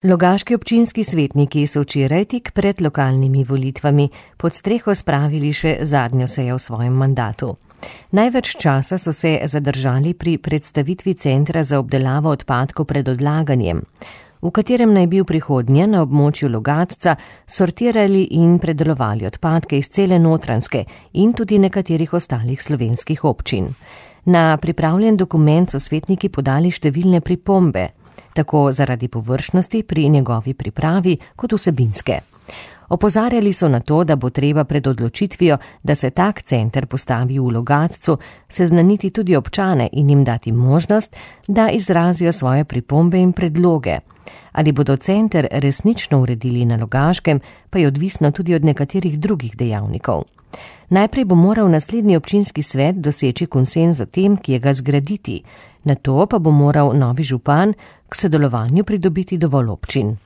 Logaški občinski svetniki so včeraj tik pred lokalnimi volitvami pod streho spravili še zadnjo sejo v svojem mandatu. Največ časa so se zadržali pri predstavitvi centra za obdelavo odpadkov pred odlaganjem, v katerem naj bi v prihodnje na območju Logatca sortirali in predelovali odpadke iz cele Notranjske in tudi nekaterih ostalih slovenskih občin. Na pripravljen dokument so svetniki podali številne pripombe, tako zaradi površnosti pri njegovi pripravi kot vsebinske. Opozarjali so na to, da bo treba pred odločitvijo, da se tak center postavi v Logatcu, seznaniti tudi občane in jim dati možnost, da izrazijo svoje pripombe in predloge. Ali bodo center resnično uredili na Logaškem, pa je odvisno tudi od nekaterih drugih dejavnikov. Najprej bo moral naslednji občinski svet doseči konsenz o tem, kje ga zgraditi, nato pa bo moral novi župan k sodelovanju pridobiti dovolj občin.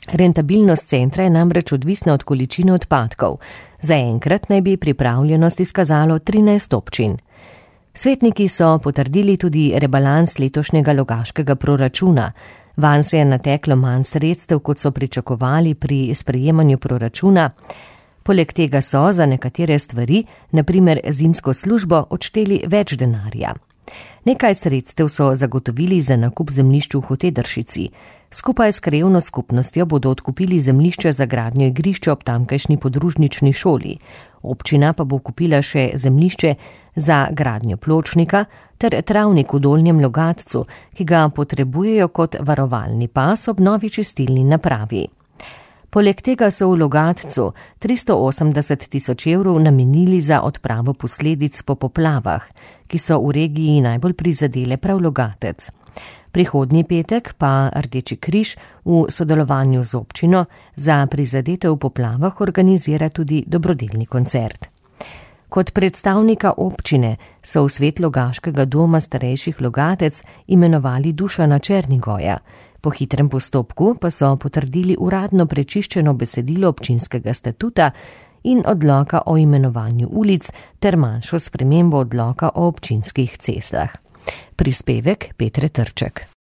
Rentabilnost centra je namreč odvisna od količine odpadkov. Zaenkrat naj bi pripravljenost izkazalo 13 občin. Svetniki so potrdili tudi rebalans letošnjega logaškega proračuna. Vanj se je nateklo manj sredstev, kot so pričakovali pri sprejemanju proračuna. Poleg tega so za nekatere stvari, na primer zimsko službo, odšteli več denarja. Nekaj sredstev so zagotovili za nakup zemljišč v Hotedršici. Skupaj s krajevno skupnostjo bodo odkupili zemljišče za gradnjo igrišča ob tamkajšnji podružnični šoli. Občina pa bo kupila še zemljišče za gradnjo pločnika ter travnik v Dolnjem Logatcu, ki ga potrebujejo kot varovalni pas ob novi čistilni napravi. Poleg tega so v Logatcu 380 000 evrov namenili za odpravo posledic po poplavah, ki so v regiji najbolj prizadele prav Logatec. Prihodnji petek pa Rdeči križ v sodelovanju z občino za prizadete v poplavah organizira tudi dobrodelni koncert. Kot predstavnika občine so v svet Logaškega doma starejših Logatec imenovali Dušana Černigoja. Po hitrem postopku pa so potrdili uradno prečiščeno besedilo občinskega statuta in odloka o imenovanju ulic ter manjšo spremembo odloka o občinskih cestah. Prispevek Petre Trček.